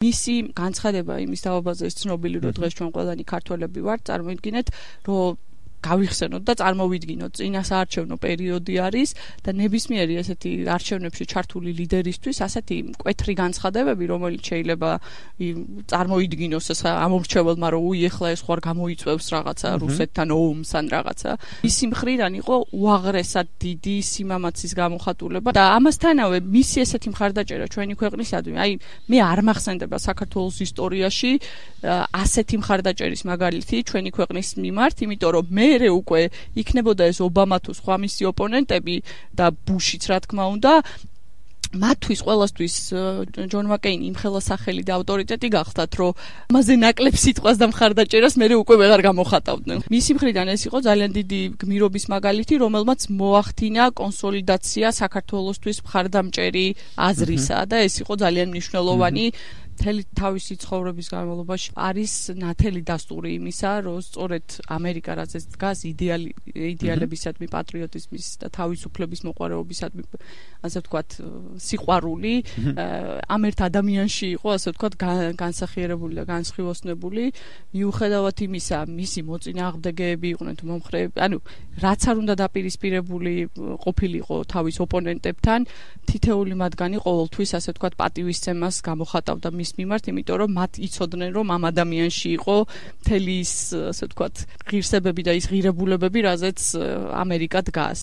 მისი განცხადება იმის თავობაზე ცნობილი, რომ დღეს ჩვენ ყველანი ქართველები ვართ, წარმოიდგინეთ, რომ გავიხსენოთ და წარმოვიდგინოთ, წინასაარჩევნო პერიოდი არის და ნებისმიერი ესეთი არჩევნებში ჩართული ლიდერისთვის ასეთი მკვეთრი განცხადებები, რომელიც შეიძლება წარმოიდგინოს ეს ამორჩეველმა, რომ ეხლა ეს ხوار გამოიწვევს რაღაცა რუსეთთან ომს ან რაღაცა. მისი მხრიდან იყო უაღრესად დიდი სიმამაცის გამოხატულება და ამასთანავე მისი ესეთი მხარდაჭერა ჩვენი ქვეყნისადმი, აი მე არ მახსენდება საქართველოს ისტორიაში ასეთი მხარდაჭერის მაგალითი ჩვენი ქვეყნის მიმართ, იმიტომ რომ მერე უკვე იქნებოდა ეს ობამა თუ სხვა მისი ოპონენტები და ბუშიც რა თქმა უნდა მათთვის ყველასთვის ჯონ მაკეინი იმხელა სახელი და ავტორიტეტი გახდათ, რომ ამაზე ნაკლებ სიტყვას და მხარდაჭერას მერე უკვე ვეღარ გამოხატავდნენ. მისი მხრიდან ეს იყო ძალიან დიდი გმირობის მაგალითი, რომელმაც მოახდინა კონსოლიდაცია საქართველოსთვის მხარდამჭერი აზრისა და ეს იყო ძალიან მნიშვნელოვანი მთელი თავისი ცხოვრების განმავლობაში არის ნათელი დასტური იმისა, რომ სწორედ ამერიკა რაზეც დგას იდეალებისადმი, პატრიოტიზმის და თავისუფლების მოყვარეობისადმი, ასე ვთქვათ, სიყვარული ამ ერთ ადამიანში იყო, ასე ვთქვათ, განსახიერებული და განსხივოსნებული, მიუხედავად იმისა, მისი მოწინააღმდეგეები იყვნენ თუ მომხრეები, ანუ რაც არ უნდა დაპირისპირებული ყოფილიყო თავის ოპონენტებთან, თითეული მათგანი ყოველთვის, ასე ვთქვათ, პატივისცემას გამოხატავდა მის მიმართ, იმიტომ რომ მათ იცოდნენ, რომ ამ ადამიანში იყო მთელი ის, ასე ვთქვათ, ღირსებები და ის ღირებულებები, რაზეც ამერიკა დგას.